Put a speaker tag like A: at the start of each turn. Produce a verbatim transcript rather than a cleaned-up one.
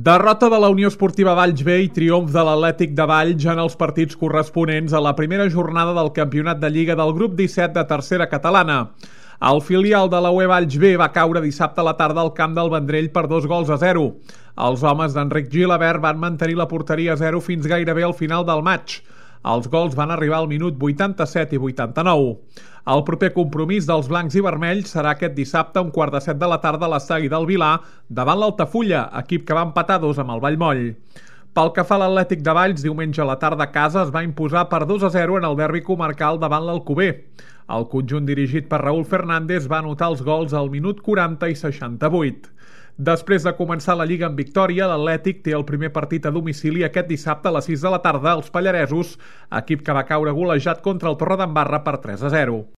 A: Derrota de la Unió Esportiva Valls B i triomf de l'Atlètic de Valls en els partits corresponents a la primera jornada del Campionat de Lliga del grup disset de tercera catalana. El filial de la U E Valls B va caure dissabte a la tarda al camp del Vendrell per dos gols a zero. Els homes d'Enric Gilabert van mantenir la porteria a zero fins gairebé al final del maig. Els gols van arribar al minut vuitanta-set i vuitanta-nou. El proper compromís dels blancs i vermells serà aquest dissabte a un quart de set de la tarda a l'estadi del Vilar davant l'Altafulla, equip que va empatar dos amb el Vallmoll. Pel que fa a l'Atlètic de Valls, diumenge a la tarda a casa es va imposar per dos a zero en el derbi comarcal davant l'Alcover. El conjunt dirigit per Raúl Fernández va anotar els gols al minut quaranta i seixanta-vuit. Després de començar la Lliga en victòria, l'Atlètic té el primer partit a domicili aquest dissabte a les sis de la tarda als Pallaresos, equip que va caure golejat contra el Torredembarra per tres a zero.